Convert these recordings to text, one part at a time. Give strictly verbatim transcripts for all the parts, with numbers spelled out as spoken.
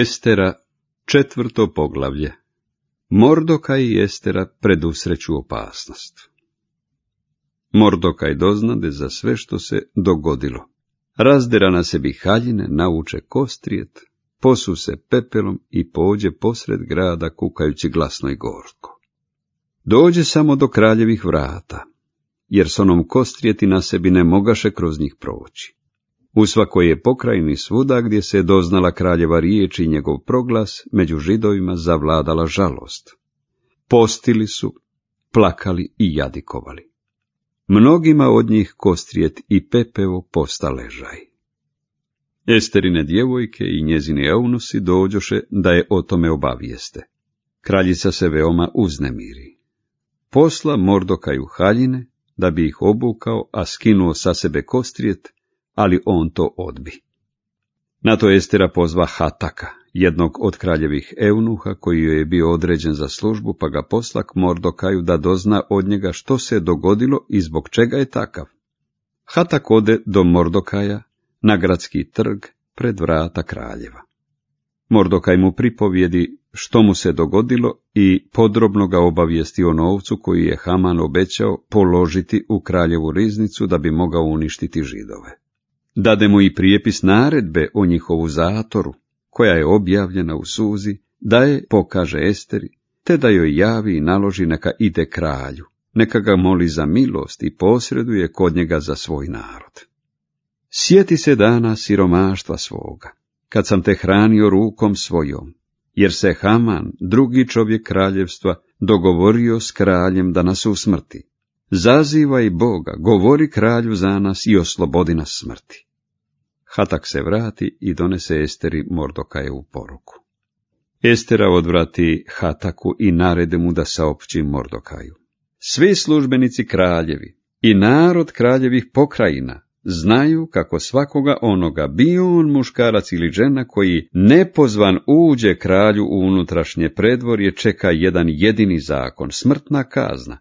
Estera, četvrto poglavlje. Mordokaj i Estera predusreću opasnost. Mordokaj doznade za sve što se dogodilo. Razdera na sebi haljine, nauče kostrijet, posu se pepelom i pođe posred grada kukajući glasno i gorko. Dođe samo do kraljevih vrata, jer s onom kostrijeti na sebi ne mogaše kroz njih proći. U svakoj je pokrajini svuda gdje se je doznala kraljeva riječ i njegov proglas, među Židovima zavladala žalost. Postili su, plakali i jadikovali. Mnogima od njih kostrijet i pepeo posta ležaj. Esterine djevojke i njezini eunusi dođoše da je o tome obavijeste. Kraljica se veoma uznemiri. Posla Mordokaju haljine, da bi ih obukao, a skinuo sa sebe kostrijet, ali on to odbi. Na to Estera pozva Hataka, jednog od kraljevih eunuha koji joj je bio određen za službu, pa ga posla k Mordokaju da dozna od njega što se je dogodilo i zbog čega je takav. Hatak ode do Mordokaja na gradski trg pred vrata kraljeva. Mordokaj mu pripovjedi što mu se dogodilo i podrobno ga obavijesti o novcu koji je Haman obećao položiti u kraljevu riznicu da bi mogao uništiti Židove. Dade mu i prijepis naredbe o njihovu zatoru, koja je objavljena u Suzi, da je pokaže Esteri, te da joj javi i naloži neka ide kralju, neka ga moli za milost i posreduje kod njega za svoj narod. Sjeti se dana siromaštva svoga, kad sam te hranio rukom svojom, jer se Haman, drugi čovjek kraljevstva, dogovorio s kraljem da nas usmrti. Zazivaj Boga, govori kralju za nas i oslobodi nas smrti. Hatak se vrati i donese Esteri Mordokajevu poruku. Estera odvrati Hataku i narede mu da saopći Mordokaju. Svi službenici kraljevi i narod kraljevih pokrajina znaju kako svakoga onoga, bio on muškarac ili žena, koji nepozvan uđe kralju u unutrašnje predvorje, čeka jedan jedini zakon, smrtna kazna,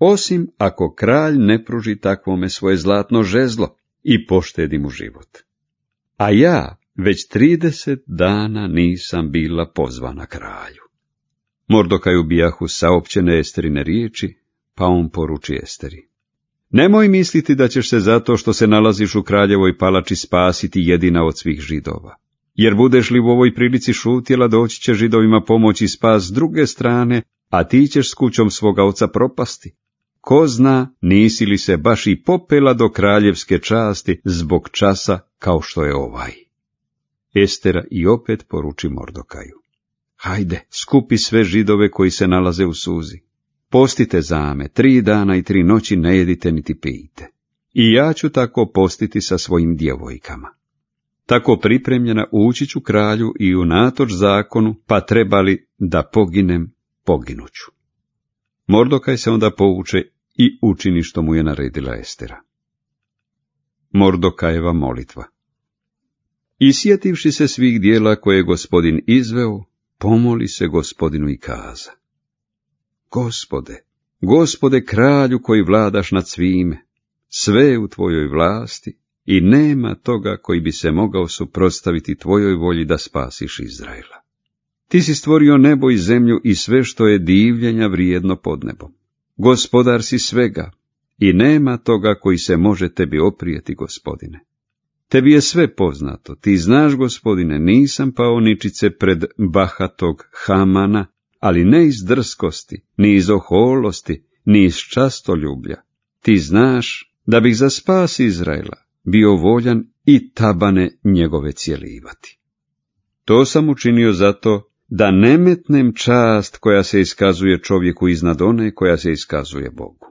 osim ako kralj ne pruži takvome svoje zlatno žezlo i poštedi mu život. A ja već trideset dana nisam bila pozvana kralju. Mordokaju bijahu saopćene Esterine riječi, pa on poruči Esteri. Nemoj misliti da ćeš se zato što se nalaziš u kraljevoj palači spasiti jedina od svih Židova. Jer budeš li u ovoj prilici šutjela, doći će Židovima pomoći spas s druge strane, a ti ćeš s kućom svoga oca propasti. Ko zna, nisi li se baš i popela do kraljevske časti zbog časa kao što je ovaj. Estera i opet poruči Mordokaju. Hajde, skupi sve Židove koji se nalaze u Suzi. Postite za me, tri dana i tri noći ne jedite niti pijte. I ja ću tako postiti sa svojim djevojkama. Tako pripremljena ući ću kralju i unatoč zakonu, pa trebali da poginem, poginuću. Mordokaj se onda povuče i učini što mu je naredila Estera. Mordokajeva molitva. I sjetivši se svih dijela koje je Gospodin izveo, pomoli se Gospodinu i kaza. Gospode, Gospode kralju koji vladaš nad svime, sve je u tvojoj vlasti i nema toga koji bi se mogao suprotstaviti tvojoj volji da spasiš Izraela. Ti si stvorio nebo i zemlju i sve što je divljenja vrijedno pod nebom. Gospodar si svega i nema toga koji se može tebi oprijeti, Gospodine. Tebi je sve poznato, ti znaš, Gospodine, nisam pao ničice pred bahatog Hamana, ali ne iz drskosti, ni iz oholosti, ni iz častoljublja. Ti znaš da bih za spas Izraela bio voljan i tabane njegove cjelivati. To sam učinio zato da ne metnem čast koja se iskazuje čovjeku iznad one koja se iskazuje Bogu.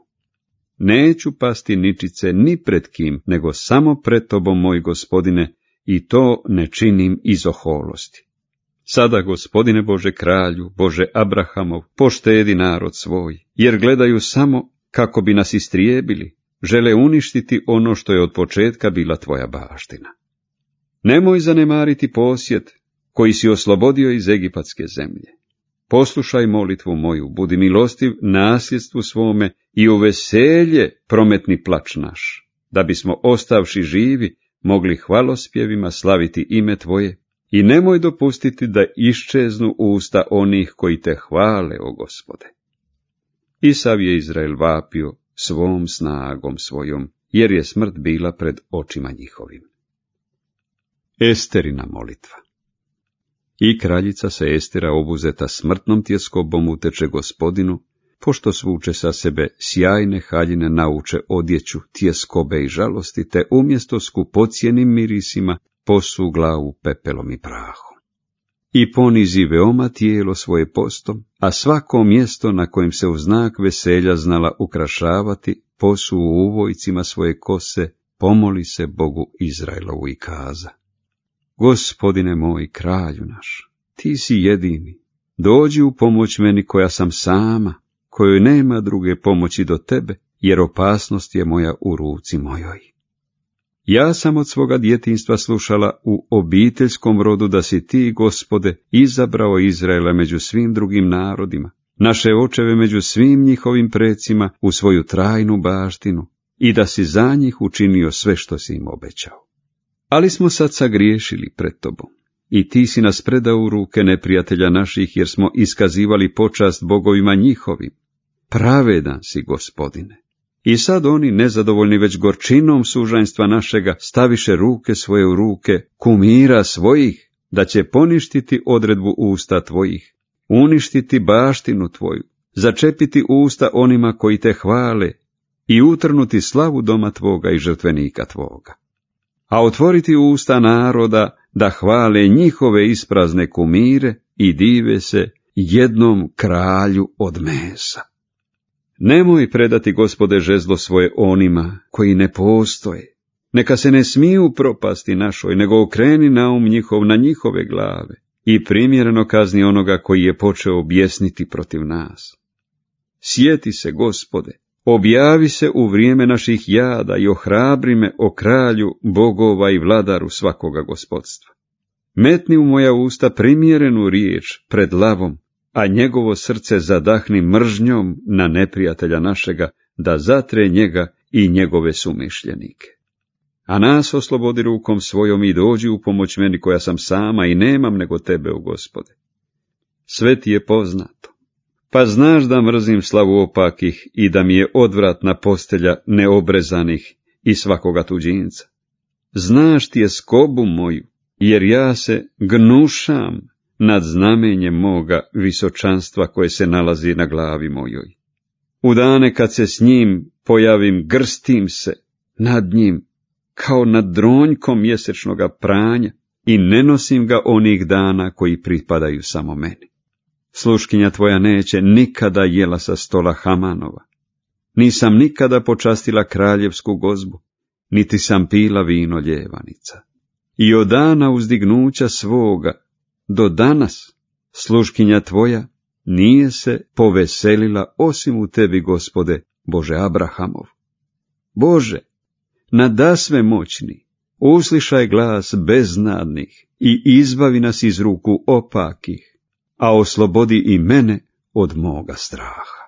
Neću pasti ničice ni pred kim, nego samo pred tobom, moj Gospodine, i to ne činim iz oholosti. Sada, Gospodine Bože kralju, Bože Abrahamov, poštedi narod svoj, jer gledaju samo kako bi nas istrijebili, žele uništiti ono što je od početka bila tvoja baština. Nemoj zanemariti posjed koji si oslobodio iz egipatske zemlje. Poslušaj molitvu moju, budi milostiv nasljedstvu svome i u veselje prometni plač naš, da bismo ostavši živi mogli hvalospjevima slaviti ime tvoje i nemoj dopustiti da iščeznu usta onih koji te hvale, o Gospode. I sav je Izrael vapio svom snagom svojom, jer je smrt bila pred očima njihovim. Esterina molitva. I kraljica se Estera, obuzeta smrtnom tjeskobom, uteče Gospodinu, pošto svuče sa sebe sjajne haljine, nauče odjeću, tjeskobe i žalosti, te umjesto skupocjenim mirisima posu glavu pepelom i prahom. I ponizi veoma tijelo svoje postom, a svako mjesto na kojem se u znak veselja znala ukrašavati, posu u uvojcima svoje kose, pomoli se Bogu Izraelovu i kaza: Gospodine moj, kralju naš, ti si jedini, dođi u pomoć meni koja sam sama, kojoj nema druge pomoći do tebe, jer opasnost je moja u ruci mojoj. Ja sam od svoga djetinjstva slušala u obiteljskom rodu da si ti, Gospode, izabrao Izraela među svim drugim narodima, naše očeve među svim njihovim precima u svoju trajnu baštinu, i da si za njih učinio sve što si im obećao. Ali smo sad sagriješili pred tobom, i ti si nas predao u ruke neprijatelja naših, jer smo iskazivali počast bogovima njihovim. Pravedan si, Gospodine. I sad oni, nezadovoljni već gorčinom sužanjstva našega, staviše ruke svoje u ruke kumira svojih, da će poništiti odredbu usta tvojih, uništiti baštinu tvoju, začepiti usta onima koji te hvale i utrnuti slavu doma tvoga i žrtvenika tvoga. A otvoriti usta naroda da hvale njihove isprazne kumire i dive se jednom kralju od mesa. Nemoj predati, Gospode, žezlo svoje onima koji ne postoje. Neka se ne smiju propasti našoj, nego okreni naum njihov na njihove glave i primjereno kazni onoga koji je počeo bjesniti protiv nas. Sjeti se, Gospode, objavi se u vrijeme naših jada i ohrabri me, o kralju bogova i vladaru svakoga gospodstva. Metni u moja usta primjerenu riječ pred lavom, a njegovo srce zadahni mržnjom na neprijatelja našega, da zatre njega i njegove sumišljenike. A nas oslobodi rukom svojom i dođi u pomoć meni koja sam sama i nemam nego tebe, o Gospode. Sve ti je poznato, pa znaš da mrzim slavu opakih i da mi je odvratna postelja neobrezanih i svakoga tuđinca. Znaš ti je skobu moju, jer ja se gnušam nad znamenjem moga visočanstva koje se nalazi na glavi mojoj. U dane kad se s njim pojavim, grstim se nad njim kao nad dronjkom mjesečnoga pranja i ne nosim ga onih dana koji pripadaju samo meni. Sluškinja tvoja neće nikada jela sa stola Hamanova. Nisam nikada počastila kraljevsku gozbu, niti sam pila vino ljevanica. I od dana uzdignuća svoga do danas sluškinja tvoja nije se poveselila osim u tebi, Gospode, Bože Abrahamov. Bože, nadasve moćni, uslišaj glas beznadnih i izbavi nas iz ruku opakih, a oslobodi i mene od moga straha.